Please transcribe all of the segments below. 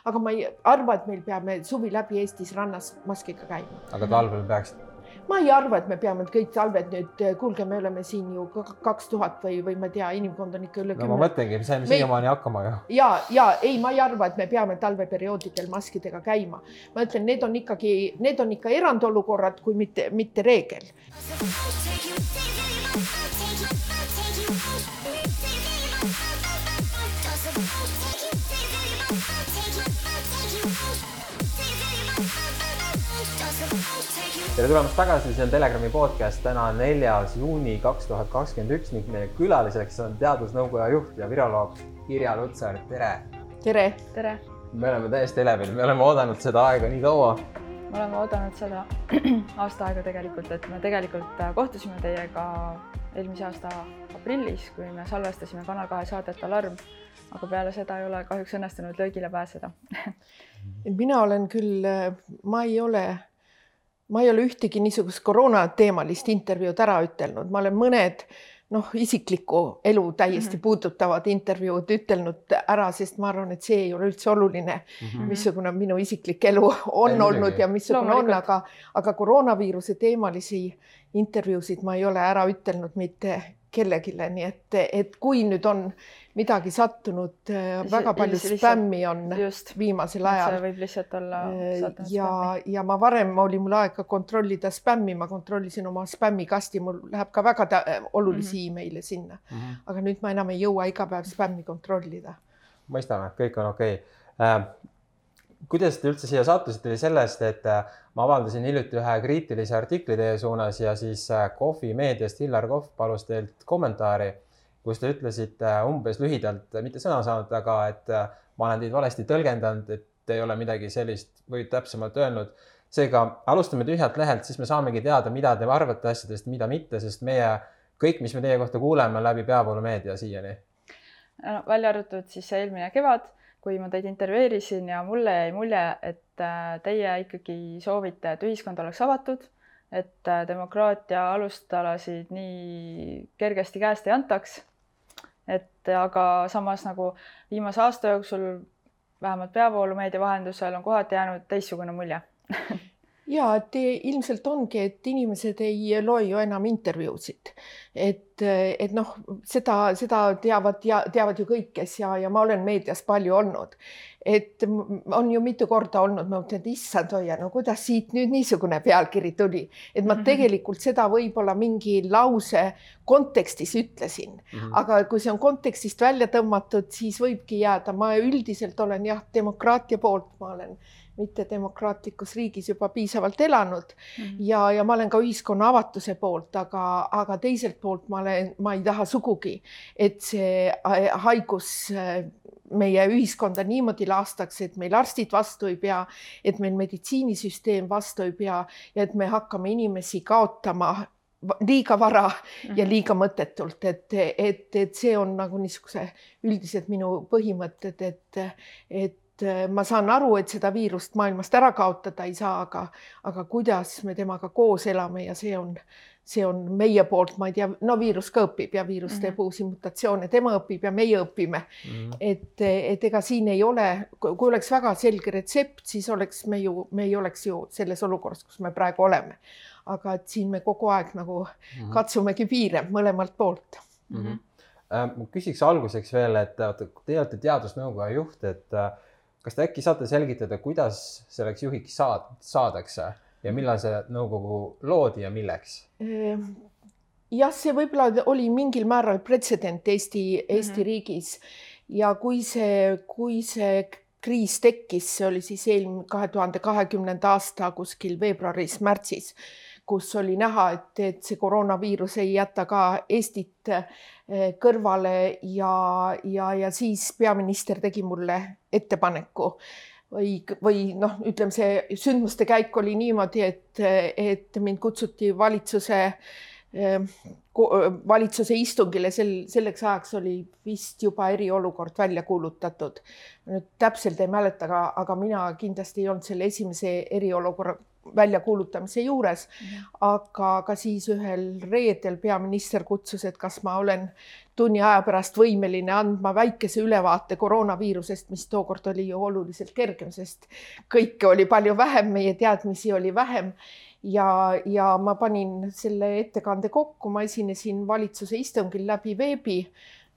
aga ma ei arva, et meil peame suvi läbi Eestis rannas maskiga käima. Aga talvel peaksid? Ma ei arva, et me peame kõik talved nüüd, kuulge, me oleme siin ju 2000 või ma tea, inimkond on ikka üle 10. No ma mõtlengi, me saime siiamaani hakkama ju. Ja ei, ma ei arva, et me peame talveperioodidel maskidega käima. Ma ütlen, need on ikka erandolukorrad, kui mitte reegel. Tere tulemast tagasi, see on Telegrami podcast, täna on 4. juuni 2021 ning meie külaliseks on teadusnõukoja juht ja viroloog Irja Lutsar. Tere! Tere! Tere! Me oleme täiesti elevil, me oleme oodanud seda aega nii kaua. Me oleme oodanud seda aasta aega tegelikult, et me tegelikult kohtusime teiega eelmise aasta aprillis, kui me salvestasime Kanal 2 saadet Alarm, aga peale seda ei ole kahjuks õnnestunud löögile pääseda. Mina olen küll, ma ei ole ühtegi niisugust koroonateemalist intervjuud ära ütelnud. Ma olen mõned isikliku elu täiesti puudutavad intervjuud ütelnud ära, sest ma arvan, et see ei ole üldse oluline, missugune minu isiklik elu on olnud ja missugune on, aga koroonaviiruse teemalisi intervjuusid ma ei ole ära ütelnud mitte kellegile, nii et kui nüüd on midagi sattunud, väga palju spämmi on viimasel ajal. See võib lihtsalt olla sattunud spämmi. Ja ma varem oli mul aega kontrollida spämmi, ma kontrollisin oma spämmikasti, mul läheb ka väga olulisi e-maile sinna. Aga nüüd ma enam ei jõua iga päev spämmi kontrollida. Mõistame, kõik on okei. Kuidas te üldse siia sattusite sellest, et ma avaldasin hiljuti ühe kriitilise artikli teie suunas ja siis Kohvi meediast Hillar Kohv palus teilt kommentaari, kus te ütlesite umbes lühidalt, mitte sõna saanud, aga et ma olen teid valesti tõlgendanud, et ei ole midagi sellist või täpsemalt öelnud. Seega alustame tühjalt lehelt, siis me saamegi teada, mida te arvate asjadest, mida mitte, sest kõik, mis me teie kohta kuuleme läbi peavoolumeedia siiani. Välja arvatud siis eelmine kevad, kui ma teid intervjueerisin ja mulle jäi mulje, et teie ikkagi soovite, et ühiskond oleks avatud, et demokraatia alustalasid nii kergesti käest ei antaks. Aga samas nagu viimase aasta jooksul vähemalt peavoolumeedia vahendusel on kohati jäänud teistsugune mulje. Ja, et ilmselt ongi, et inimesed ei loe ju enam intervjuusid. Et seda teavad ju kõikes ja ma olen meedias palju olnud. Et on ju mitu korda olnud, ma mõtlen, et issand hoia, kuidas siit nüüd niisugune pealkiri tuli. Et ma tegelikult seda võib-olla mingi lause kontekstis ütlesin. Aga kui see on kontekstist välja tõmmatud, siis võibki jääda. Ma üldiselt olen demokraatia poolt, ma olen mitte demokraatlikus riigis juba piisavalt elanud ja ma olen ka ühiskonna avatuse poolt, aga teiselt poolt ma ei taha sugugi, et see haigus meie ühiskonda niimoodi laastaks, et meil arstid vastu ei pea, et meil meditsiinisüsteem vastu ei pea ja et me hakkame inimesi kaotama liiga vara ja liiga mõttetult, et see on nagu niisuguse üldiselt minu põhimõtted, et ma saan aru, et seda viirust maailmast ära kaotada ei saa, aga kuidas me temaga koos elame ja see on meie poolt, ma ei tea, viirus ka õpib ja viirus teeb uusi mutatsioone, tema õpib ja meie õpime. Et ega siin ei ole, kui oleks väga selge retsept, siis me ei oleks ju selles olukorras, kus me praegu oleme. Aga et siin me kogu aeg nagu katsumegi piire mõlemalt poolt. Küsiks alguseks veel, et te olete teadusnõukoja juht, et kas te äkki saate selgitada, kuidas selleks juhiks saadakse ja millal see nõukogu loodi ja milleks? Jah, see võib-olla oli mingil määral pretsedent Eesti riigis ja kui see kriis tekkis, see oli siis 2020. aasta kuskil veebruaris-märtsis, kus oli näha, et see koroonaviirus ei jäta ka Eestit kõrvale ja siis peaminister tegi mulle ettepaneku või ütleme, see sündmuste käik oli niimoodi, et mind kutsuti valitsuse istungile, selleks ajaks oli vist juba eriolukord välja kuulutatud. Nüüd täpselt ei mäleta, aga mina kindlasti ei olnud selle esimese eriolukorra väljakuulutamise juures, aga ka siis ühel reedel peaminister kutsus, et kas ma olen tunni aja pärast võimeline andma väikese ülevaate koroonaviirusest, mis tookord oli ju oluliselt kergem, sest kõike oli palju vähem, meie teadmisi oli vähem. Ja ma panin selle ettekande kokku, ma esinesin valitsuse istungil läbi veebi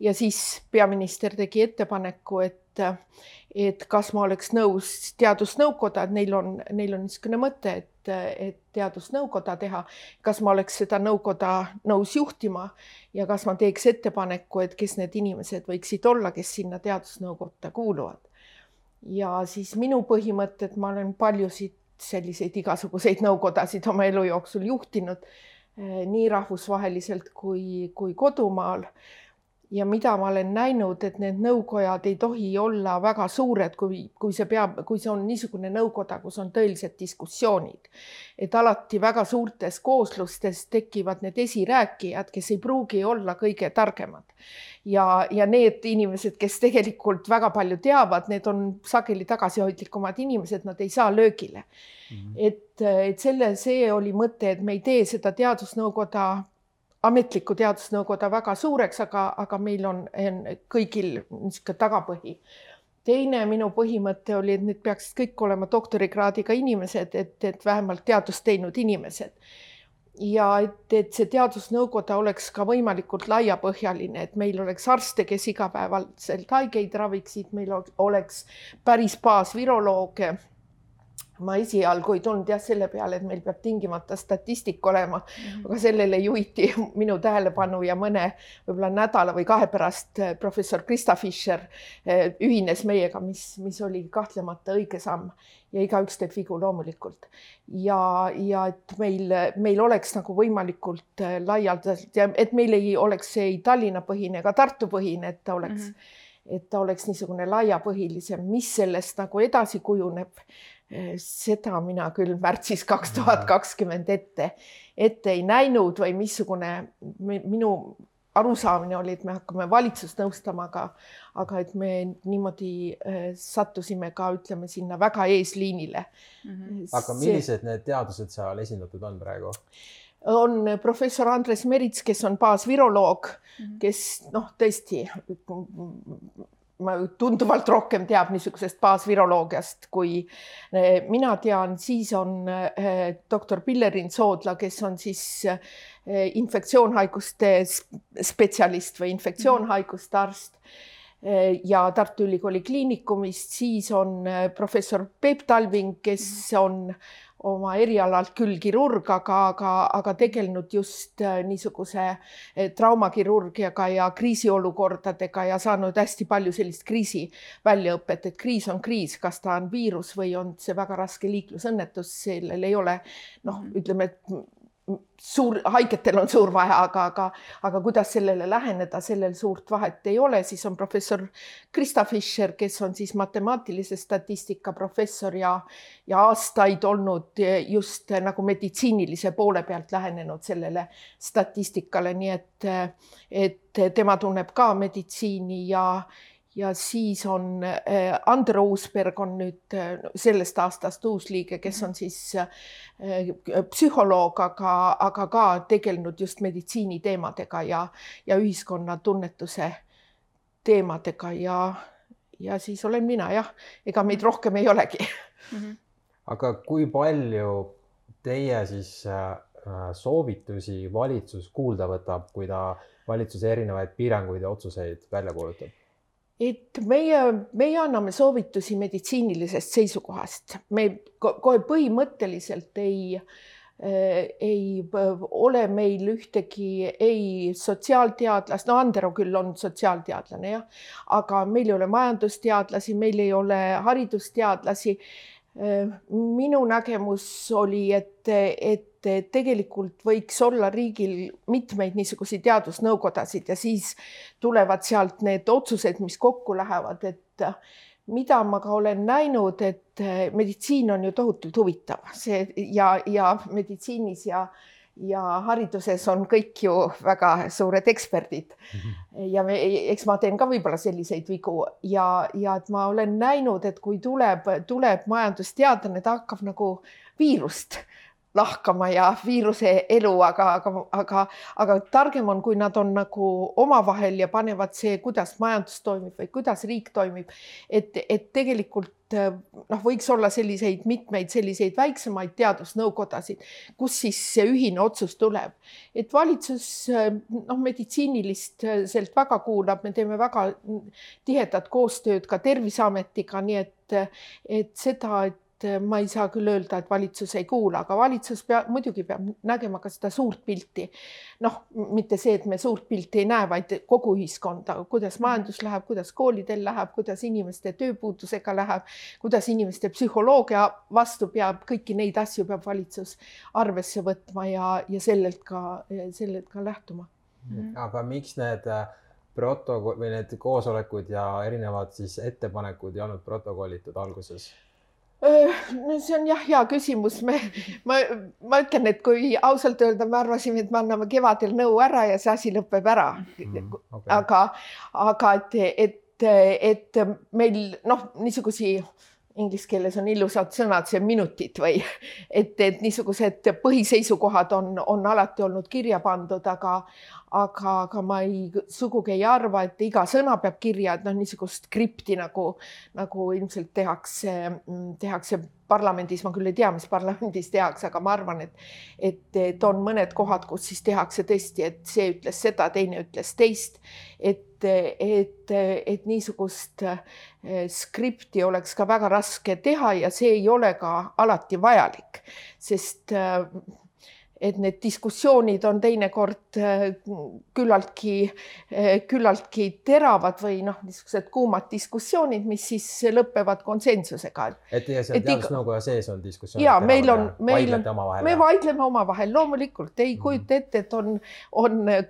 ja siis peaminister tegi ettepaneku, et kas ma oleks nõus teadusnõukoda, et neil on niisugune mõte, et teadusnõukoda teha, kas ma oleks seda nõukoda nõus juhtima ja kas ma teeks ettepaneku, et kes need inimesed võiksid olla, kes sinna teadusnõukotta kuuluvad. Ja siis minu põhimõtted, ma olen paljusid selliseid igasuguseid nõukodasid oma elu jooksul juhtinud, nii rahvusvaheliselt kui kodumaal. Ja mida ma olen näinud, et need nõukojad ei tohi olla väga suured, kui see on niisugune nõukoda, kus on tõelised diskussioonid. Et alati väga suurtes kooslustes tekivad need esirääkijad, kes ei pruugi olla kõige targemad. Ja need inimesed, kes tegelikult väga palju teavad, need on sageli tagasihoidlikumad inimesed, nad ei saa löögile. See oli mõte, et me ei tee seda ametlikku teadusnõukoda väga suureks, aga meil on kõigil niisugune tagapõhi. Teine minu põhimõte oli, et need peaksid kõik olema doktorikraadiga inimesed, et vähemalt teadust teinud inimesed. Ja et see teadusnõukoda oleks ka võimalikult laiapõhjaline, et meil oleks arste, kes igapäevaselt haigeid raviksid, meil oleks päris baasvirolooge. Ma esialgu ei tulnud selle peale, et meil peab tingimata statistik olema, aga sellele juhiti minu tähelepanu ja mõne võib-olla nädala või 2 pärast professor Krista Fischer ühines meiega, mis oli kahtlemata õige samm ja igaüks teeb vigu loomulikult. Ja et meil oleks nagu võimalikult laialdaselt ja et meil ei oleks see Tallinna põhine ega Tartu põhine, et ta oleks niisugune laiapõhilisem, mis sellest nagu edasi kujuneb. Seda mina küll märtsis 2020 ette ei näinud või missugune minu arusaamine oli, et me hakkame valitsust nõustama, aga et me niimoodi sattusime ka, ütleme, sinna väga eesliinile. Aga millised need teadused seal esindatud on praegu? On professor Andres Merits, kes on baasviroloog, kes tõesti tunduvalt rohkem teab niisugusest baasviroloogiast, kui mina tean. Siis on doktor Pillerin Soodla, kes on siis infektsioonhaiguste spetsialist või infektsioonhaiguste arst ja Tartu Ülikooli kliinikumist. Siis on professor Peep Talving, kes on oma erialalt küll kirurg, aga tegelenud just niisuguse traumakirurgiaga ja kriisiolukordadega ja saanud hästi palju sellist kriisi väljaõpet, et kriis on kriis, kas ta on viirus või on see väga raske liiklusõnnetus, sellel ei ole, ütleme, haigetel on suur vahe, aga kuidas sellele läheneda, sellel suurt vahet ei ole. Siis on professor Krista Fischer, kes on siis matemaatilise statistika professor ja aastaid olnud just nagu meditsiinilise poole pealt lähenenud sellele statistikale, nii et tema tunneb ka meditsiini ja siis on Andero Uusberg on nüüd sellest aastast uus liige, kes on siis psühholoog, aga ka tegelenud just meditsiini teemadega ja ühiskonna tunnetuse teemadega ja siis olen mina, ega meid rohkem ei olegi. Aga kui palju teie siis soovitusi valitsus kuulda võtab, kui ta valitsuse erinevaid piiranguid ja otsuseid välja kuulutab? Et meie anname soovitusi meditsiinilisest seisukohast. Me kohe põhimõtteliselt ei ole meil ühtegi ei sotsiaalteadlast, Andero küll on sotsiaalteadlane, aga meil ei ole majandusteadlasi, meil ei ole haridusteadlasi. Minu nägemus oli, et tegelikult võiks olla riigil mitmeid niisuguseid teadusnõukodasid ja siis tulevad sealt need otsused, mis kokku lähevad, et mida ma ka olen näinud, et meditsiin on ju tohutult huvitav ja meditsiinis ja hariduses on kõik ju väga suured eksperdid. Ja eks ma teen ka võib-olla selliseid vigu ja et ma olen näinud, et kui tuleb majandusteadlane, ta hakkab nagu viirust lahkama ja viiruse elu, aga targem on, kui nad on nagu omavahel ja panevad see, kuidas majandus toimib või kuidas riik toimib, et tegelikult võiks olla mitmeid selliseid väiksemaid teadusnõukodasid, kus siis see ühine otsus tuleb. Et valitsus meditsiiniliselt väga kuulab, me teeme väga tihedat koostööd ka Terviseametiga, nii et seda, et ma ei saa küll öelda, et valitsus ei kuula, aga valitsus muidugi peab nägema ka seda suurt pilti. Mitte see, et me suurt pilti ei näe, vaid kogu ühiskonda, kuidas majandus läheb, kuidas koolidel läheb, kuidas inimeste tööpuudusega läheb, kuidas inimeste psühholoogia vastu peab, kõiki neid asju peab valitsus arvesse võtma ja sellelt ka lähtuma. Aga miks need protokoll või need koosolekud ja erinevad siis ettepanekud ei olnud protokollitud alguses? See on jah, hea küsimus. Ma ütlen, et kui ausalt öelda, me arvasime, et me anname kevadel nõu ära ja see asi lõpeb ära. Okay. Aga et meil niisugusi, inglise keeles on ilusad sõnad, see minutid või et niisugused põhiseisukohad on alati olnud kirja pandud, aga ma sugugi ei arva, et iga sõna peab kirja, et niisugust skripti nagu ilmselt tehakse parlamendis, ma küll ei tea, mis parlamendis tehakse, aga ma arvan, et on mõned kohad, kus siis tehakse tõesti, et see ütles seda, teine ütles teist, et niisugust skripti oleks ka väga raske teha ja see ei ole ka alati vajalik, sest et need diskussioonid on teinekord küllaltki teravad või niisugused kuumad diskussioonid, mis siis lõpevad konsensusega. Et see teadusnõukoja sees on diskussioonid teravad? Me vaidleme omavahel, loomulikult ei kujuta ette, et on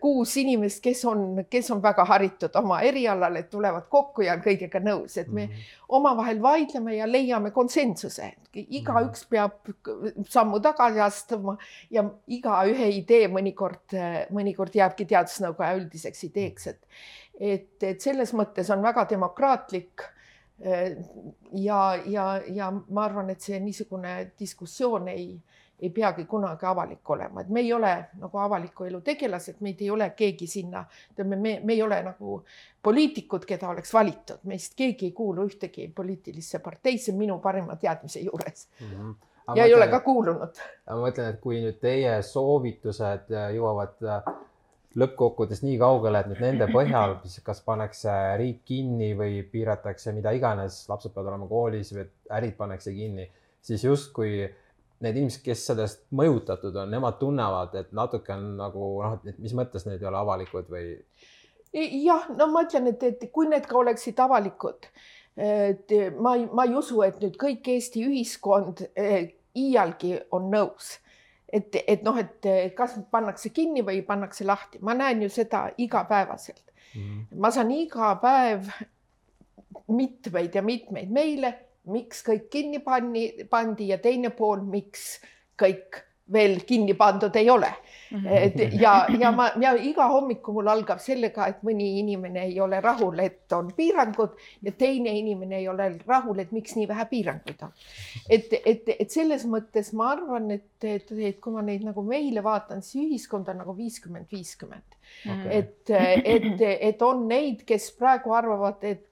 6 inimest, kes on väga haritud oma erialal, et tulevad kokku ja on kõigega nõus, et me omavahel vaidleme ja leiame konsensuse. Igaüks peab sammu tagasi astuma ja igaühe idee mõnikord jääbki teadusnõukoja üldiseks ideeks, et selles mõttes on väga demokraatlik ja ma arvan, et see niisugune diskussioon ei peagi kunagi avalik olema, et me ei ole nagu avaliku elu tegelased, meid ei ole keegi sinna, me ei ole nagu poliitikud, keda oleks valitud, meist keegi ei kuulu ühtegi poliitilisse parteisse minu parima teadmise juures. Ja ei ole ka kuulunud. Ma mõtlen, et kui nüüd teie soovitused jõuavad lõppkokkuvõttes nii kaugele, et nüüd nende põhjal, kas pannakse riik kinni või piiratakse mida iganes, lapsed peavad olema koolis või ärid pannakse kinni, siis justkui need inimesed, kes sellest mõjutatud on, nemad tunnevad, et natuke on nagu, mis mõttes need ei ole avalikud või? Jah, ma ütlen, et kui need ka oleksid avalikud, ma ei usu, et nüüd kõik Eesti ühiskond iialgi on nõus. Et kas pannakse kinni või pannakse lahti. Ma näen ju seda igapäevaselt. Ma saan iga päev mitmeid ja mitmeid meile, miks kõik kinni pandi ja teine pool, miks kõik veel kinni pandud ei ole. Ja iga hommiku mul algab sellega, et mõni inimene ei ole rahul, et on piirangud ja teine inimene ei ole rahul, et miks nii vähe piiranguid on. Et selles mõttes ma arvan, et kui ma neid nagu meile vaatan, siis ühiskond on nagu 50-50. Et on neid, kes praegu arvavad, et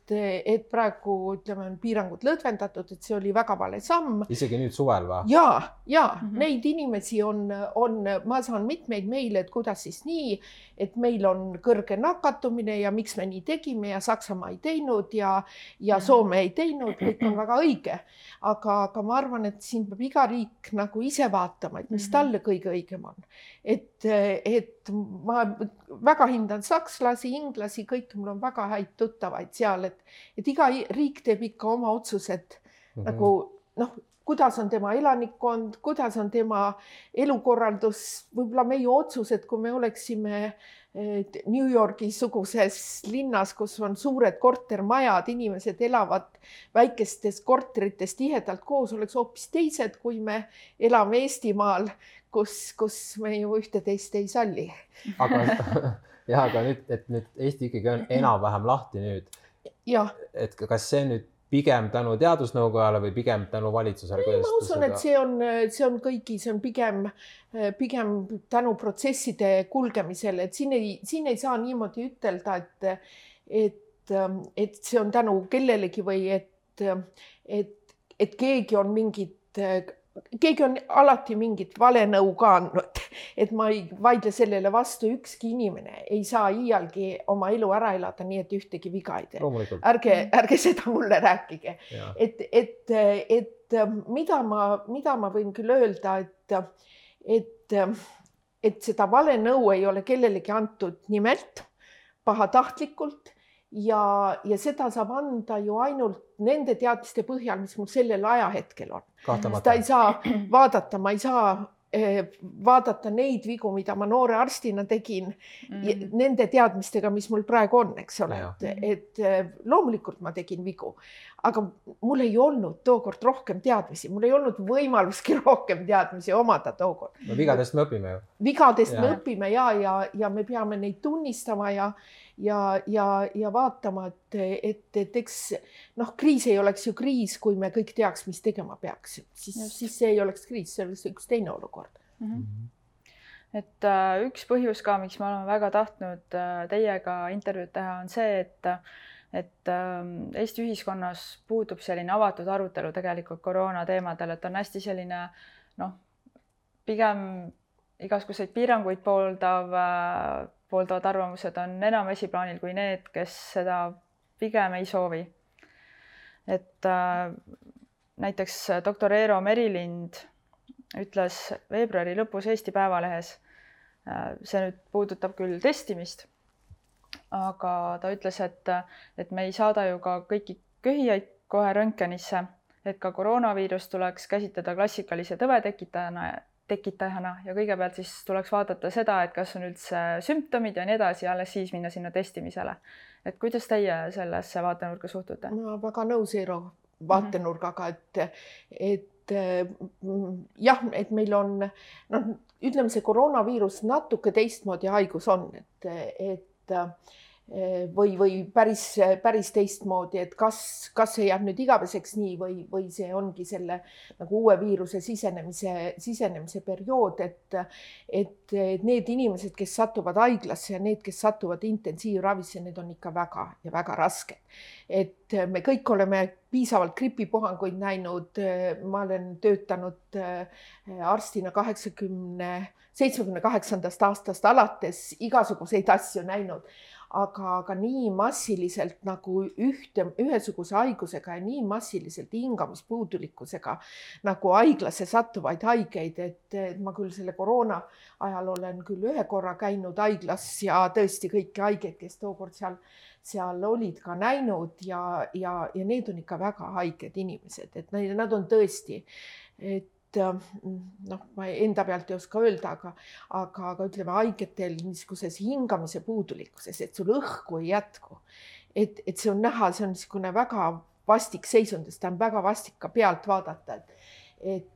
praegu ütleme, on piirangud lõdvendatud, et see oli väga vale samm. Isegi nüüd suvel või? Ja neid inimesi on, ma saan mitmeid meile, et kuidas siis nii, et meil on kõrge nakatumine ja miks me nii tegime ja Saksamaa ei teinud ja Soome ei teinud, kõik on väga õige. Aga ma arvan, et siin peab iga riik nagu ise vaatama, et mis talle kõige õigem on. Et ma väga hindan sakslasi, inglasi, kõik mul on väga häid tuttavaid seal, et iga riik teeb ikka oma otsused nagu kuidas on tema elanikkond, kuidas on tema elukorraldus, võib-olla meie otsused, kui me oleksime New Yorgi suguses linnas, kus on suured kortermajad, inimesed elavad väikestes korterites tihedalt koos, oleks hoopis teised, kui me elame Eestimaal, kus me ju ühte-teist ei salli. Aga nüüd, et nüüd Eesti ikkagi on enam-vähem lahti nüüd. Ja. Et kas see nüüd pigem tänu teadusnõukojale või pigem tänu valitsusele? Ma usun, et see on kõigi, see on pigem tänu protsesside kulgemisele, et siin ei saa niimoodi ütelda, et see on tänu kellelegi või et keegi on alati mingit valenõu ka andnud, et ma ei vaidle sellele vastu, ükski inimene ei saa iialgi oma elu ära elada nii, et ühtegi viga ei tee. Ärge seda mulle rääkige. Et mida ma võin küll öelda, et seda valenõu ei ole kellelegi antud nimelt, pahatahtlikult ja seda saab anda ju ainult nende teadmiste põhjal, mis mul sellel ajahetkel on. Seda ei saa vaadata, ma ei saa vaadata neid vigu, mida ma noore arstina tegin nende teadmistega, mis mul praegu on, eks ole. Et loomulikult ma tegin vigu, aga mul ei olnud tookord rohkem teadmisi, mul ei olnud võimaluski rohkem teadmisi omada tookord. No vigadest me õpime ju. Vigadest me õpime ja me peame neid tunnistama ja vaatama, et eks kriis ei oleks ju kriis, kui me kõik teaks, mis tegema peaks. Siis see ei oleks kriis, see oleks üks teine olukord. Et üks põhjus ka, miks me oleme väga tahtnud teiega intervjuud teha, on see, et Eesti ühiskonnas puudub selline avatud arutelu tegelikult koroona teemadel, et on hästi selline, pigem igasuguseid piiranguid pooldavad arvamused on enam esiplaanil kui need, kes seda pigem ei soovi. Et näiteks doktor Eero Merilind ütles veebruari lõpus Eesti Päevalehes, see nüüd puudutab küll testimist, aga ta ütles, et me ei saada ju ka kõiki köhijaid kohe röntgenisse, et ka koroonaviirus tuleks käsitleda klassikalise tõve tekitajana ja kõigepealt siis tuleks vaadata seda, et kas on üldse sümptomid ja nii edasi ja alles siis minna sinna testimisele. Et kuidas teie sellesse vaatenurka suhtute? Ma väga nõus Eero vaatenurgaga, et jah, et meil on, ütleme see koroonaviirus natuke teistmoodi haigus on, või päris teistmoodi, et kas see jääb nüüd igaveseks nii või see ongi selle nagu uue viiruse sisenemise periood, et need inimesed, kes satuvad haiglasse ja need, kes satuvad intensiivravisse, need on ikka väga ja väga rasked. Et me kõik oleme piisavalt gripipuhanguid näinud, ma olen töötanud arstina 78. aastast alates igasuguseid asju näinud. Aga nii massiliselt nagu ühesuguse haigusega ja nii massiliselt hingamispuudulikkusega nagu haiglasse sattuvaid haigeid, et ma küll selle koroona ajal olen küll ühe korra käinud haiglas ja tõesti kõiki haigeid, kes tookord seal olid ka näinud ja need on ikka väga haiged inimesed, et nad on tõesti, ma enda pealt ei oska öelda, aga ütleme haigetel niisuguses hingamise puudulikkuses, et sul õhku ei jätku. Et see on näha, see on niisugune väga vastik seisund, ta on väga vastik ka pealt vaadata, et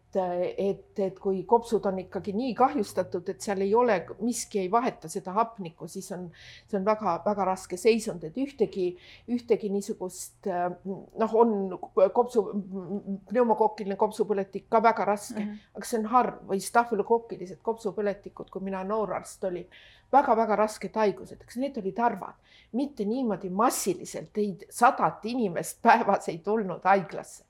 kui kopsud on ikkagi nii kahjustatud, et seal ei ole, miski ei vaheta seda hapnikku, siis see on väga, väga raske seisund, et ühtegi niisugust, on pneumokokkiline kopsupõletik ka väga raske, aga see on harv või stafylokokkilised kopsupõletikud, kui mina noorarst olin, väga-väga rasked haigused, eks need olid harvad, mitte niimoodi massiliselt 100 inimest päevas ei tulnud haiglasse.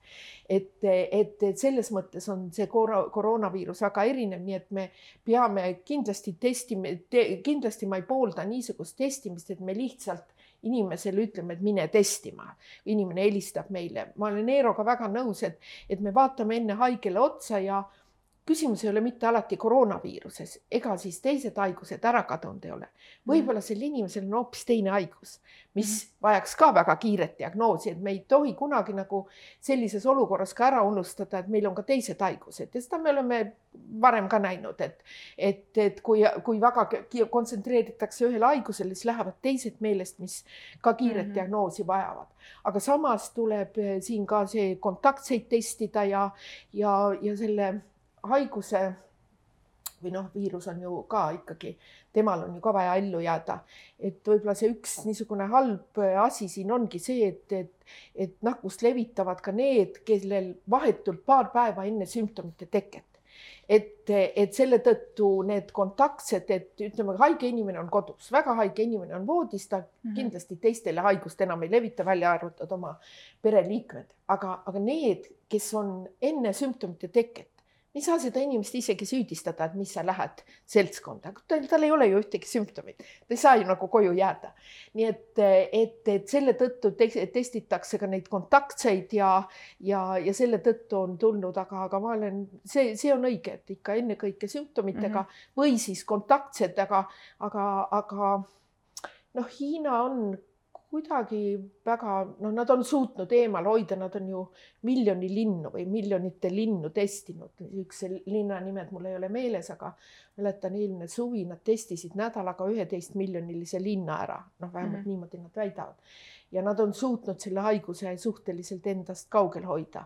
Et selles mõttes on see koroonaviirus väga erinev, nii et me peame kindlasti testima, kindlasti ma ei poolda niisugust testimist, et me lihtsalt inimesele ütleme, et mine testima. Inimene helistab meile. Ma olen Eeroga väga nõus, et me vaatame enne haigele otsa ja küsimus ei ole mitte alati koroonaviiruses, ega siis teised haigused ära kadunud ei ole. Võib-olla sel inimesel on hoopis teine haigus, mis vajaks ka väga kiiret diagnoosi, et me ei tohi kunagi nagu sellises olukorras ka ära unustada, et meil on ka teised haigused ja seda me oleme varem ka näinud, et kui väga kontsentreeritakse ühele haigusele, siis lähevad teised meelest, mis ka kiiret diagnoosi vajavad. Aga samas tuleb siin ka see kontaktseid testida ja selle haiguse või viirus on ju ka ikkagi, temal on ju ka vaja ellu jääda. Et võib-olla see üks niisugune halb asi siin ongi see, et nakkust levitavad ka need, kellel vahetult paar päeva enne sümptomite teket. Et selle tõttu need kontaktsed, et ütleme, haige inimene on kodus, väga haige inimene on voodis, ta kindlasti teistele haigust enam ei levita, välja arvatud oma pereliikmed. Aga need, kes on enne sümptomite teket, ei saa seda inimest isegi süüdistada, et mis sa lähed seltskonda. Tal ei ole ju ühtegi sümptomit. Ta ei saa ju nagu koju jääda. Nii et selle tõttu testitakse ka neid kontaktseid ja selle tõttu on tulnud, aga ma olen, see on õige, et ikka enne kõike sümptomitega või siis kontaktsed, aga Hiina on kuidagi väga, nad on suutnud eemal hoida, nad on ju miljoni linnu või miljonite linnu testinud. Üks linna nimed mul ei ole meeles, aga mäletan eelmine suvi, nad testisid nädalaga 11 miljonilise linna ära. Vähemalt niimoodi nad väidavad. Ja nad on suutnud selle haiguse suhteliselt endast kaugel hoida.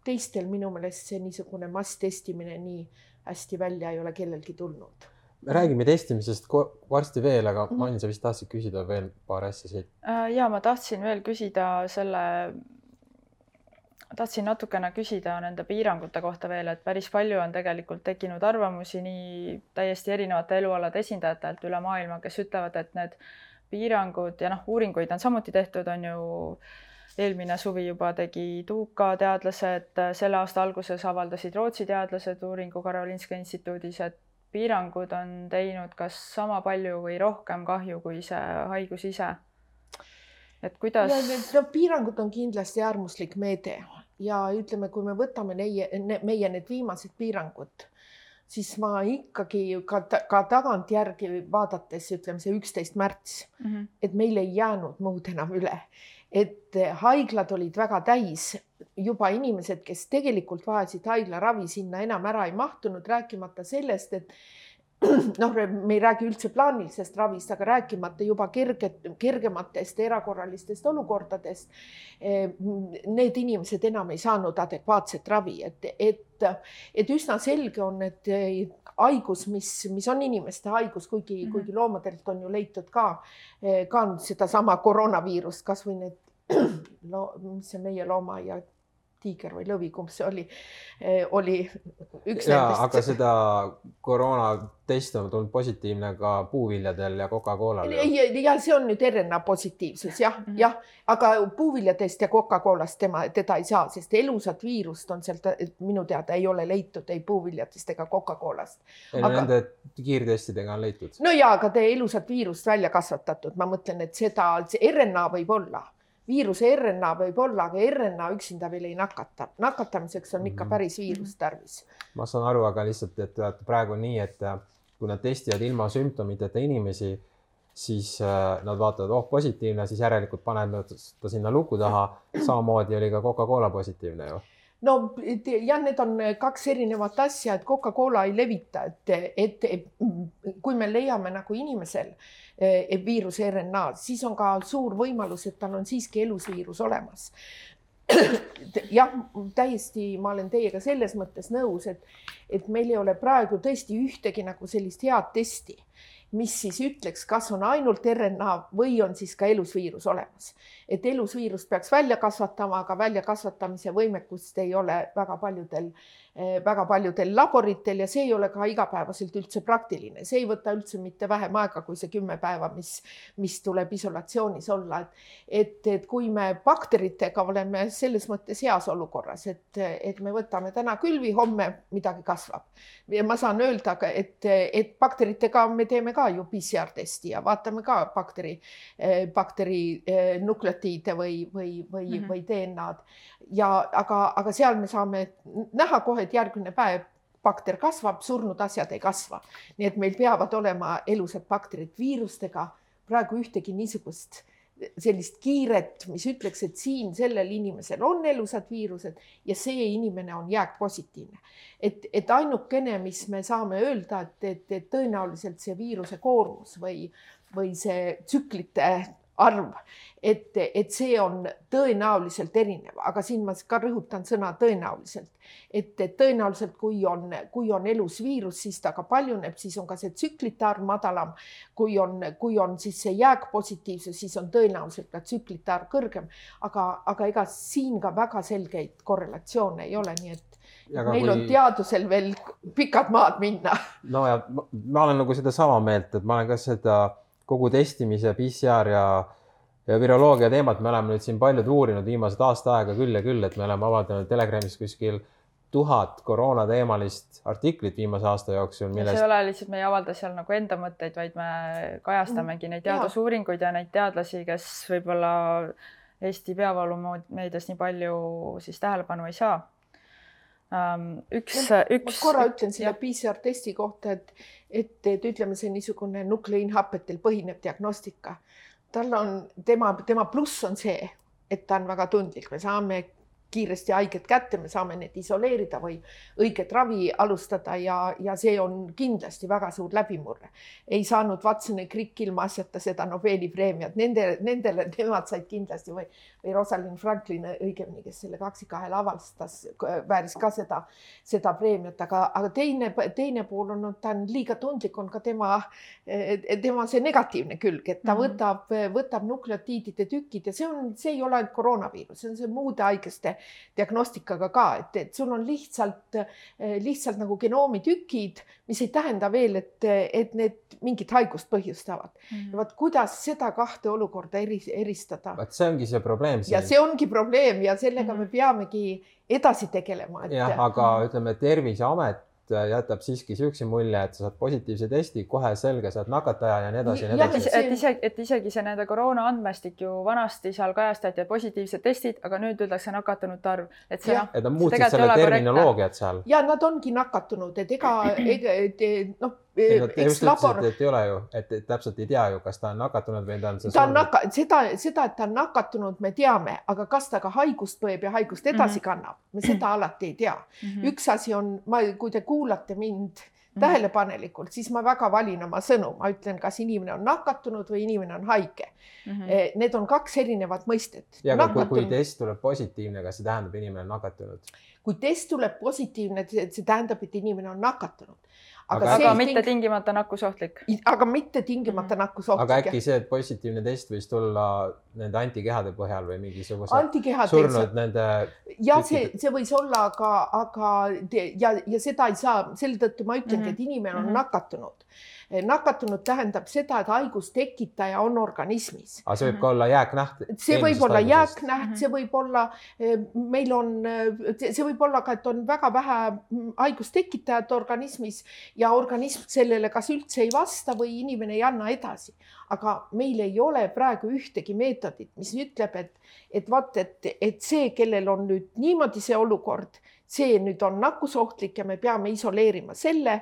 Teistel minu meelest see niisugune masstestimine nii hästi välja ei ole kellelgi tulnud. Me räägime testimisest varsti veel, aga Mann, sa vist tahtsid küsida veel paar asja siit. Ja ma tahtsin veel küsida tahtsin natukene küsida nende piirangute kohta veel, et päris palju on tegelikult tekkinud arvamusi nii täiesti erinevate elualade esindajatelt üle maailma, kes ütlevad, et need piirangud ja uuringuid on samuti tehtud, on ju eelmine suvi juba tegi Tuuka teadlased, selle aasta alguses avaldasid Rootsi teadlased uuringu Karolinska instituudis, et piirangud on teinud kas sama palju või rohkem kahju kui see haigus ise. Et kuidas... Piirangud on kindlasti äärmuslik meede ja ütleme, kui me võtame meie need viimased piirangud, siis ma ikkagi ka tagantjärgi vaadates, ütleme see 11. märts, et meil ei jäänud muud enam üle. Et haiglad olid väga täis, juba inimesed, kes tegelikult vajasid haiglaravi, sinna enam ära ei mahtunud, rääkimata sellest, et me ei räägi üldse plaanilisest ravist, aga rääkimata juba kergematest erakorralistest olukordadest. Need inimesed enam ei saanud adekvaatset ravi, et üsna selge on, et haigus, mis on inimeste haigus, kuigi loomadelt on ju leitud ka seda sama koroonaviirust, kas või need, mis see meie looma ja tiiger või lõvi, kumb see oli üks nendest. Aga seda koroonatest on tulnud positiivne ka puuviljadel ja Coca-Colal. Ja see on nüüd RNA positiivsus, jah. Aga puuviljadest ja Coca-Colast teda ei saa, sest elusat viirust on sealt, minu teada ei ole leitud ei puuviljadest ega Coca-Colast. Nende kiirtestidega on leitud? No jaa, aga elusat viirust välja kasvatatud. Ma mõtlen, et seda RNA võib olla. Viiruse RNA võib olla, aga RNA üksinda veel ei nakata. Nakatamiseks on ikka päris viirus tarvis. Ma saan aru, aga lihtsalt, et praegu on nii, et kui nad testivad ilma sümptomiteta inimesi, siis nad vaatavad, positiivne, siis järelikult panevad ta sinna luku taha. Samamoodi oli ka Coca-Cola positiivne ju. No jah, need on kaks erinevat asja, et Coca-Cola ei levita, et kui me leiame nagu inimesel viiruse RNA, siis on ka suur võimalus, et tal on siiski elusviirus olemas. Jah, täiesti ma olen teiega selles mõttes nõus, et meil ei ole praegu tõesti ühtegi nagu sellist head testi, mis siis ütleks, kas on ainult RNA või on siis ka elusviirus olemas. Et elusviirust peaks välja kasvatama, aga välja kasvatamise võimekust ei ole väga paljudel laboritel ja see ei ole ka igapäevaselt üldse praktiline. See ei võta üldse mitte vähem aega kui see 10 päeva, mis tuleb isolatsioonis olla. Et kui me bakteritega oleme selles mõttes heas olukorras, et me võtame täna külvi, homme midagi kasvab. Ja ma saan öelda, et bakteritega me teeme ka ka ju PCR-testi ja vaatame ka bakteri nukleotiide või DNA-d. Aga seal me saame näha kohe, et järgmine päev bakter kasvab, surnud asjad ei kasva. Nii et meil peavad olema elusad bakterid viirustega. Praegu ühtegi niisugust sellist kiiret, mis ütleks, et siin sellel inimesel on elusad viirused ja see inimene on jääkpositiivne. Et ainukene, mis me saame öelda, et tõenäoliselt see viiruse koormus või see tsüklite arv, et see on tõenäoliselt erinev, aga siin ma ka rõhutan sõna tõenäoliselt, et tõenäoliselt kui on elus viirus, siis ta ka paljuneb, siis on ka see tsüklite arv madalam, kui on siis see jääkpositiivsus, siis on tõenäoliselt ka tsüklite arv kõrgem, aga ega siin ka väga selgeid korrelatsioone ei ole, nii et meil on teadusel veel pikad maad minna. No ja ma olen nagu seda sama meelt, et ma olen ka seda kogu testimise, PCR ja viroloogia teemat me oleme nüüd siin paljud uurinud viimased aasta aega küll ja küll, et me oleme avaldanud Telegramis kuskil 1000 koroonateemalist artiklit viimase aasta jooksul. See ei ole lihtsalt, me ei avalda seal nagu enda mõtteid, vaid me kajastamegi neid teadusuuringuid ja neid teadlasi, kes võib-olla Eesti peavoolumeedias nii palju siis tähelepanu ei saa. Ma korra ütlen selle PCR-testi kohta, et ütleme see niisugune nukleinhapetel põhinev diagnostika. Tema pluss on see, et ta on väga tundlik. Me saame kiiresti haiged kätte, me saame need isoleerida või õiget ravi alustada ja see on kindlasti väga suur läbimurre. Ei saanud Watson ja Crick ilma asjata seda Nobeli preemiat. Nendele nemad said kindlasti või Rosalind Franklin õigemini, kes selle 2-2 avastas, vääris ka seda preemiat, aga teine pool on, ta on liiga tundlik, on ka tema see negatiivne külg, et ta võtab nukleotiidide tükid ja see ei ole ainult koroonaviirus, see on see muude haigeste diagnostikaga ka, et sul on lihtsalt nagu genoomitükid, mis ei tähenda veel, et need mingit haigust põhjustavad. Ja vaat kuidas seda kahte olukorda eristada? See ongi see probleem. Ja see ongi probleem ja sellega me peamegi edasi tegelema. Jah, aga ütleme, Terviseamet jätab siiski siukse mulje, et sa saad positiivse testi, kohe selge, saad nakataja ja nii edasi. Et isegi see nende koroona andmestik ju vanasti seal kajastati positiivsed testid, aga nüüd üldakse nakatunute arv. Et nad muutsid selle terminoloogiat seal. Ja nad ongi nakatunud, et et ei ole ju, et täpselt ei tea ju, kas ta on nakatunud või ta on seda, et ta on nakatunud, me teame, aga kas ta ka haigust põeb ja haigust edasi kannab, me seda alati ei tea. Üks asi on, kui te kuulate mind tähelepanelikult, siis ma väga valin oma sõnu. Ma ütlen, kas inimene on nakatunud või inimene on haige. Need on 2 erinevat mõistet. Ja kui test tuleb positiivne, kas see tähendab, inimene on nakatunud? Kui test tuleb positiivne, see tähendab, et inimene on nakatunud. Aga mitte tingimata nakkusohtlik. Aga mitte tingimata nakkusohtlik. Aga äkki see, et positiivne test võis tulla nende antikehade põhjal või mingisugused surnud nende... Ja see võis olla, ja seda ei saa, selle tõttu ma ütlengi, et inimene on nakatunud. Nakatunud tähendab seda, et haigus tekitaja on organismis. Aga see võib ka olla jääknäht? See võib olla jääknäht, see võib olla, see võib olla ka, et on väga vähe haigustekitajat organismis ja organism sellele kas üldse ei vasta või inimene ei anna edasi. Aga meil ei ole praegu ühtegi meetodit, mis ütleb, et see, kellel on nüüd niimoodi see olukord, see nüüd on nakkusohtlik ja me peame isoleerima selle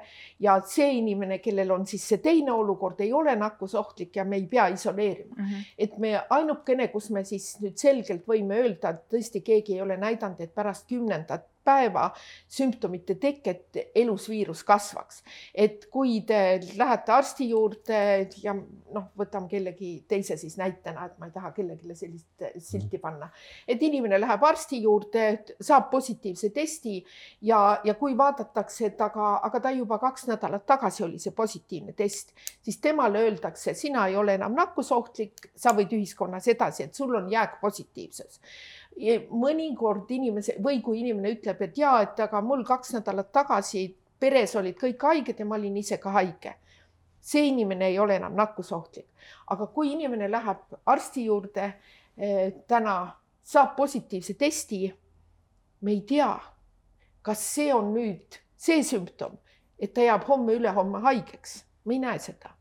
ja see inimene, kellel on siis see teine olukord, ei ole nakkusohtlik ja me ei pea isoleerima. Et me ainukene, kus me siis nüüd selgelt võime öelda, et tõesti keegi ei ole näidanud, et pärast 10. päeva sümptomite teket elus viirus kasvaks. Et kui te lähete arsti juurde ja võtame kellegi teise siis näitena, et ma ei taha kellelegi sellist silti panna. Et inimene läheb arsti juurde, saab positiivse testi ja kui vaadatakse, et aga ta juba 2 nädalat tagasi oli see positiivne test, siis temale öeldakse, sina ei ole enam nakkusohtlik, sa võid ühiskonnas edasi, et sul on jääkpositiivsus. Mõnikord või kui inimene ütleb, et aga mul 2 nädalat tagasi peres olid kõik haiged ja ma olin ise ka haige. See inimene ei ole enam nakkusohtlik. Aga kui inimene läheb arsti juurde, täna saab positiivse testi, me ei tea, kas see on nüüd see sümptom, et ta jääb homme ülehomme haigeks. Me ei näe seda.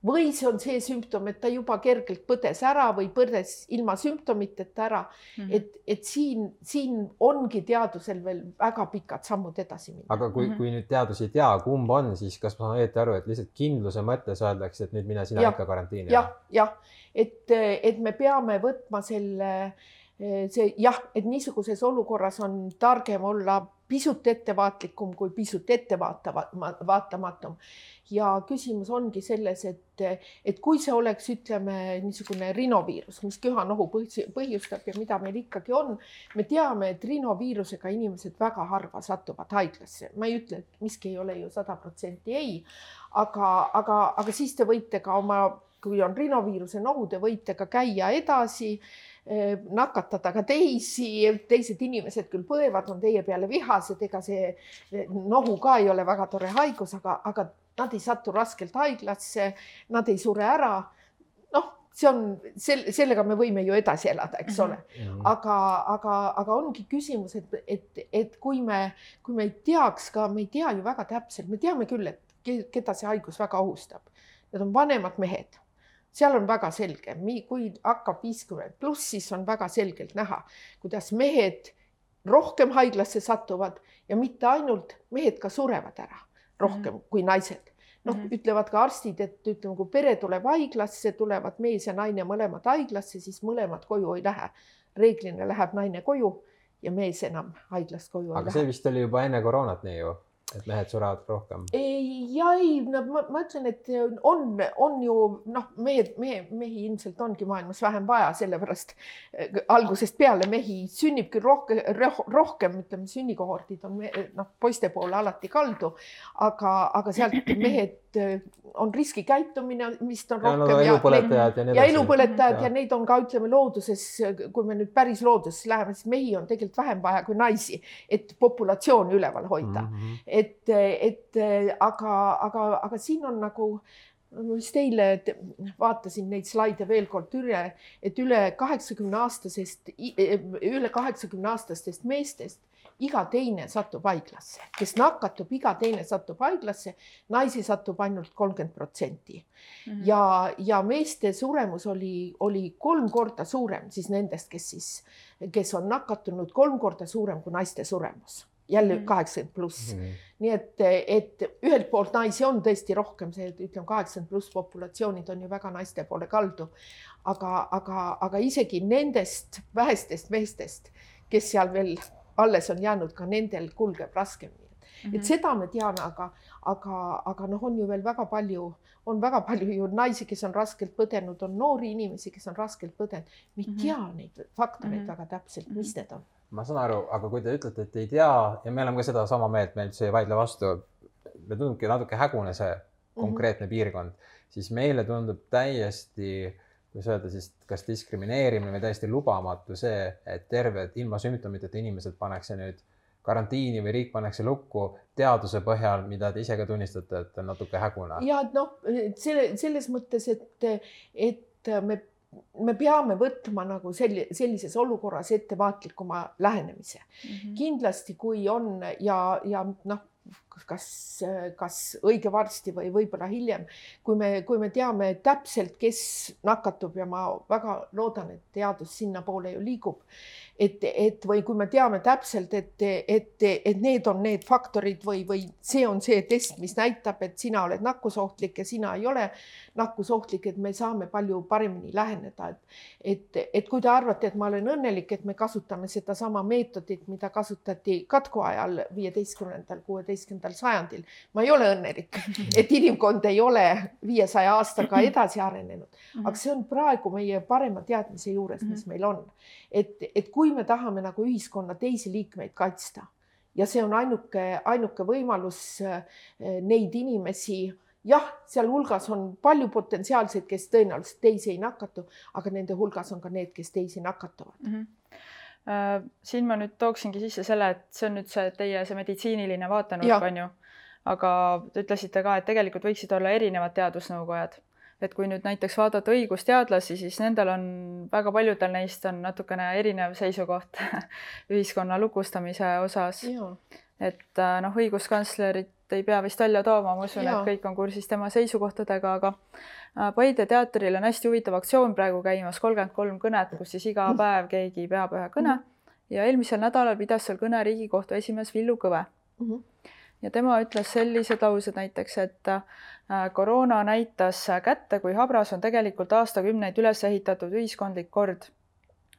või see on see sümptom, et ta juba kergelt põdes ära või põdes ilma sümptomiteta ära. Et siin ongi teadusel veel väga pikad sammud edasi minna. Aga kui nüüd teadus ei tea, kumb on, siis kas ma saan õieti aru, et lihtsalt kindluse mõttes öeldakse, et nüüd mine sina ikka karantiini? Jah, et me peame võtma et niisuguses olukorras on targem olla pisut ettevaatlikum kui pisut ettevaatamatum. Ja küsimus ongi selles, et kui see oleks, ütleme, niisugune rinoviirus, mis köhanohu põhjustab ja mida meil ikkagi on, me teame, et rinoviirusega inimesed väga harva satuvad haiglasse. Ma ei ütle, et miski ei ole ju 100% ei, aga siis te võite ka kui on rinoviiruse nohu, te võite ka käia edasi, nakatada ka teised inimesed küll põevad, on teie peale vihased, ega see nohu ka ei ole väga tore haigus, aga nad ei satu raskelt haiglasse, nad ei sure ära. Sellega me võime ju edasi elada, eks ole. Aga ongi küsimus, et kui me ei teaks ka, me ei tea ju väga täpselt, me teame küll, et keda see haigus väga ohustab. Need on vanemad mehed. Seal on väga selge, kui hakkab 50+, siis on väga selgelt näha, kuidas mehed rohkem haiglasse satuvad ja mitte ainult mehed ka surevad ära rohkem kui naised. Ütlevad ka arstid, et kui pere tuleb haiglasse, tulevad mees ja naine mõlemad haiglasse, siis mõlemad koju ei lähe. Reeglina läheb naine koju ja mees enam haiglast koju ei lähe. Aga see vist oli juba enne koroonat nii ju? Et mehed surevad rohkem? Ma ütlen, et on ju, mehi ilmselt ongi maailmas vähem vaja, sellepärast algusest peale mehi sünnib küll rohkem, ütleme, sünnikohordid on poiste poole alati kaldu, aga sealt mehed on riskikäitumine, mis on rohkem ja elupõletajad ja neid on ka, ütleme, looduses, kui me nüüd päris looduses läheme, siis mehi on tegelikult vähem vaja kui naisi, et populatsiooni üleval hoida. Aga siin on nagu, ma vist eile vaatasin neid slaide veel kord üle, et üle 80-aastastest meestest iga teine satub haiglasse, kes nakatub, iga teine satub haiglasse, naisi satub ainult 30%. Ja meeste suremus oli 3 korda suurem siis nendest, kes on nakatunud, 3 korda suurem kui naiste suremus. Jälle 80+. Nii et ühelt poolt naisi on tõesti rohkem, see ütleme 80+ populatsioonid on ju väga naiste poole kaldu, aga isegi nendest vähestest meestest, kes seal veel alles on jäänud, ka nendel kulgeb raskemini. Et seda me teame, aga on ju veel väga palju ju naisi, kes on raskelt põdenud, on noori inimesi, kes on raskelt põdenud. Me ei tea neid faktoreid väga täpselt, mis need on. Ma saan aru, aga kui te ütlete, et ei tea ja me oleme ka seda sama meelt, meil see ei vaidle vastu, me tundubki natuke hägune see konkreetne piirkond, siis meile tundub täiesti, kuidas öelda, siis kas diskrimineerimine või täiesti lubamatu see, et terved ilma sümptomiteta inimesed pannakse nüüd karantiini või riik pannakse lukku teaduse põhjal, mida te ise ka tunnistate, et on natuke hägune. Ja selles mõttes, et me peame võtma nagu sellises olukorras ettevaatlikuma lähenemise. Kindlasti, kui on ja kas õige varsti või võib-olla hiljem, kui me teame täpselt, kes nakatub ja ma väga loodan, et teadus sinna poole ju liigub, või kui me teame täpselt, et need on need faktorid või see on see test, mis näitab, et sina oled nakkusohtlik ja sina ei ole nakkusohtlik, et me saame palju paremini läheneda. Et kui te arvate, et ma olen õnnelik, et me kasutame seda sama meetodit, mida kasutati katku ajal 15. 16. sajandil. Ma ei ole õnnelik, et inimkond ei ole 500 aastaga edasi arenenud, aga see on praegu meie parema teadmise juures, mis meil on. Et kui me tahame nagu ühiskonna teisi liikmeid kaitsta ja see on ainuke võimalus neid inimesi, jah, seal hulgas on palju potentsiaalseid, kes tõenäoliselt teisi ei nakatu, aga nende hulgas on ka need, kes teisi nakatuvad. Siin ma nüüd tooksingi sisse selle, et see on nüüd teie meditsiiniline vaatenurk, on ju, aga te ütlesite ka, et tegelikult võiksid olla erinevad teadusnõukojad. Et kui nüüd näiteks vaadata õigusteadlasi, siis nendel on, väga paljudel neist on natukene erinev seisukoht ühiskonna lukustamise osas. Et õiguskantslerit ei pea vist välja tooma, ma usun, et kõik on kursis tema seisukohtadega, aga Paide teatril on hästi huvitav aktsioon praegu käimas, 33 kõnet, kus siis iga päev keegi peab ühe kõne ja eelmisel nädalal pidas seal kõne Riigikohtu esimees Villu Kõve. Ja tema ütles sellised laused näiteks, et koroona näitas kätte, kui habras on tegelikult aastakümneid üles ehitatud ühiskondlik kord,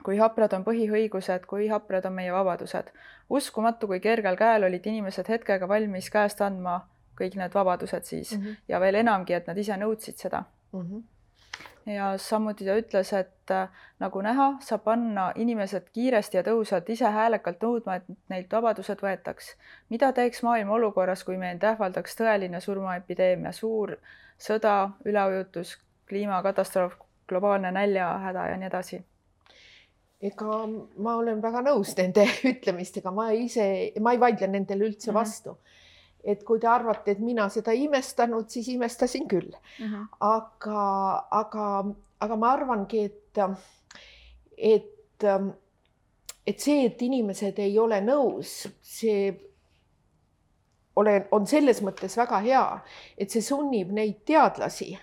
kui haprad on põhiõigused, kui haprad on meie vabadused. Uskumatu, kui kergel käel olid inimesed hetkega valmis käest andma kõik need vabadused siis ja veel enamgi, et nad ise nõudsid seda. Ja samuti ta ütles, et nagu näha, saab panna inimesed kiiresti ja tõhusalt ise häälekalt nõudma, et neilt vabadused võetaks. Mida teeks maailm olukorras, kui meil ähvaldaks tõeline surmaepideemia, suur sõda, üleujutus, kliimakatastroof, globaalne näljahäda ja nii edasi? Ega ma olen väga nõus nende ütlemistega, ma ei vaidle nendele üldse vastu. Et kui te arvate, et mina seda imestanud, siis imestasin küll. Aga ma arvangi, et see, et inimesed ei ole nõus, see on selles mõttes väga hea, et see sunnib neid teadlasi,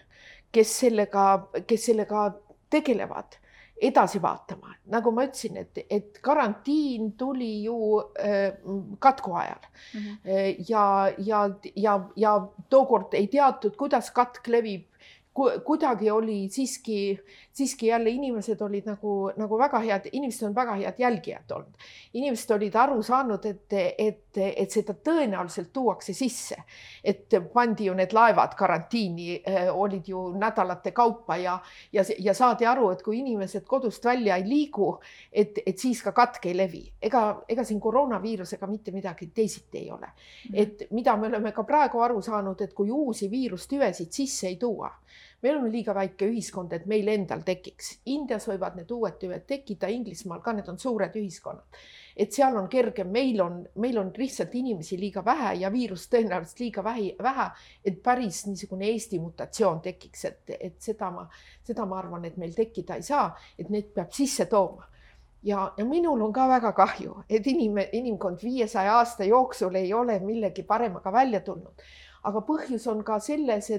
kes sellega tegelevad, edasi vaatama. Nagu ma ütlesin, et karantiin tuli ju katku ajal ja tookord ei teatud, kuidas katk levib. Kuidagi oli siiski jälle inimesed olid nagu väga head, inimesed on väga head jälgijad olnud. Inimesed olid aru saanud, et seda tõenäoliselt tuuakse sisse, et pandi ju need laevad karantiini, olid ju nädalate kaupa ja saadi aru, et kui inimesed kodust välja ei liigu, et siis ka katk ei levi. Ega siin koroonaviirusega mitte midagi teisiti ei ole. Et mida me oleme ka praegu aru saanud, et kui uusi viirustüvesid sisse ei tuua, me oleme liiga väike ühiskond, et meil endal tekiks. Indias võivad need uued tüved tekkida, Inglismaal ka, need on suured ühiskonnad. Et seal on kergem, meil on lihtsalt inimesi liiga vähe ja viirus tõenäoliselt liiga vähe, et päris niisugune Eesti mutatsioon tekiks, et seda ma arvan, et meil tekkida ei saa, et need peab sisse tooma. Ja minul on ka väga kahju, et inimkond 500 aasta jooksul ei ole millegi paremaga välja tulnud. Aga põhjus on ka selles,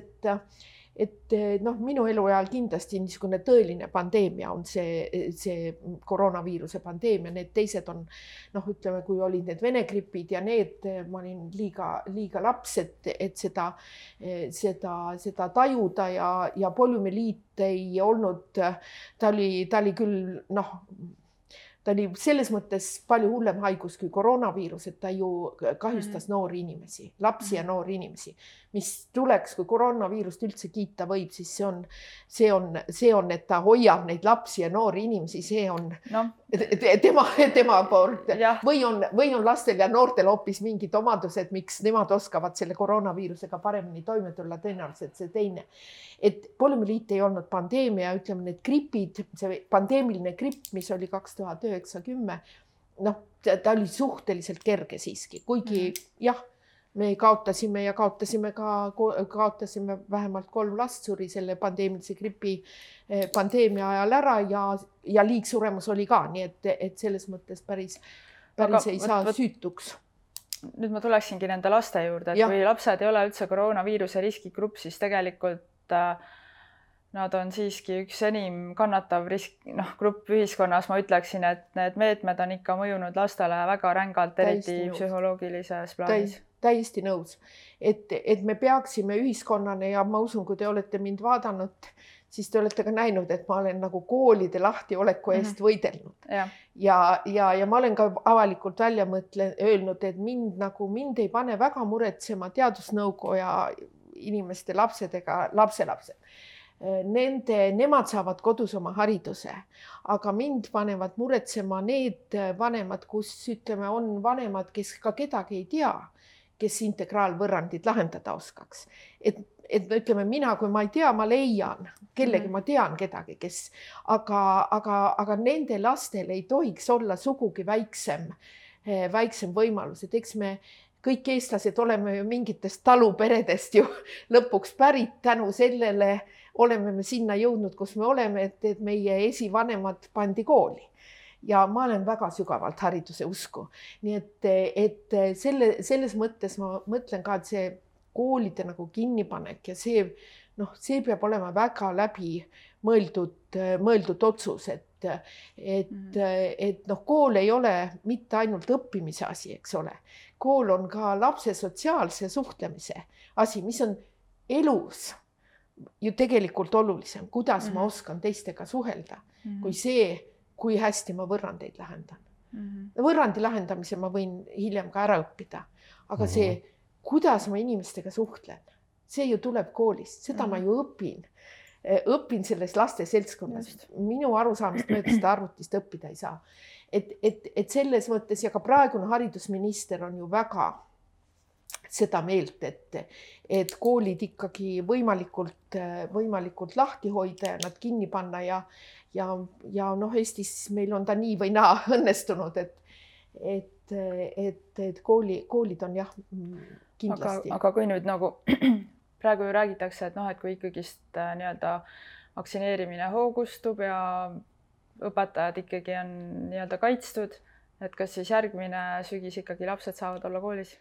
et minu eluajal kindlasti niisugune tõeline pandeemia on see koroonaviiruse pandeemia, need teised on, ütleme, kui olid need Vene gripid ja need, ma olin liiga laps, et seda tajuda ja poliomüeliit ei olnud, ta oli küll, ta oli selles mõttes palju hullem haigus kui koroonaviirus, et ta ju kahjustas noori inimesi, lapsi ja noori inimesi, mis tuleks, kui koroonaviirust üldse kiita võib, siis see on, et ta hoiab neid lapsi ja noori inimesi, see on tema poolt. Või on lastel ja noortel hoopis mingid omadused, miks nemad oskavad selle koroonaviirusega paremini toime tulla, tõenäoliselt see teine. Et poliomüeliit ei olnud pandeemia, ütleme need gripid, see pandeemiline gripp, mis oli 2009-10, ta oli suhteliselt kerge siiski, kuigi jah, me kaotasime vähemalt 3 last suri selle pandeemilise gripi pandeemia ajal ära ja liigsuremus oli ka, nii et selles mõttes päris ei saa süütuks. Nüüd ma tuleksingi nende laste juurde, et kui lapsed ei ole üldse koroonaviiruse riskigrupp, siis tegelikult nad on siiski üks enim kannatav grupp ühiskonnas. Ma ütleksin, et need meetmed on ikka mõjunud lastele väga rängalt, eriti psühholoogilises plaanis. Täiesti nõus, et me peaksime ühiskonnana ja ma usun, kui te olete mind vaadanud, siis te olete ka näinud, et ma olen nagu koolide lahtioleku eest võidelnud. Ja ma olen ka avalikult välja öelnud, et mind ei pane väga muretsema teadusnõukoja inimeste lapselapsed. Nemad saavad kodus oma hariduse, aga mind panevad muretsema need vanemad, kus ütleme, on vanemad, kes ka kedagi ei tea, kes integraalvõrrandid lahendada oskaks. Et ütleme, mina, kui ma ei tea, ma leian kellegi, ma tean kedagi, aga nende lastel ei tohiks olla sugugi väiksem võimalus, et eks me kõik eestlased oleme ju mingitest taluperedest ju lõpuks pärit, tänu sellele oleme me sinna jõudnud, kus me oleme, et meie esivanemad pandi kooli. ja ma olen väga sügavalt hariduse usku. Nii et selles mõttes ma mõtlen ka, et see koolide nagu kinnipanek ja see, noh, see peab olema väga läbi mõeldud otsus, et noh, kool ei ole mitte ainult õppimise asi, eks ole. Kool on ka lapse sotsiaalse suhtlemise asi, mis on elus ju tegelikult olulisem, kuidas ma oskan teistega suhelda, kui see, kui hästi ma võrrandeid lähendan. Võrrandi lähendamise ma võin hiljem ka ära õppida, aga see, kuidas ma inimestega suhtlen, see ju tuleb koolist, seda ma ju õpin selles laste seltskonnas. Minu arusaamist mööda seda arvutist õppida ei saa. Et selles mõttes ja ka praegune haridusminister on ju väga seda meelt, et koolid ikkagi võimalikult lahti hoida ja nad kinni panna ja noh, Eestis meil on ta nii või naa õnnestunud, et koolid on jah, kindlasti. Aga kui nüüd nagu praegu ju räägitakse, et noh, et kui ikkagist nii-öelda vaktsineerimine hoogustub ja õpetajad ikkagi on nii-öelda kaitstud, et kas siis järgmine sügis ikkagi lapsed saavad olla koolis?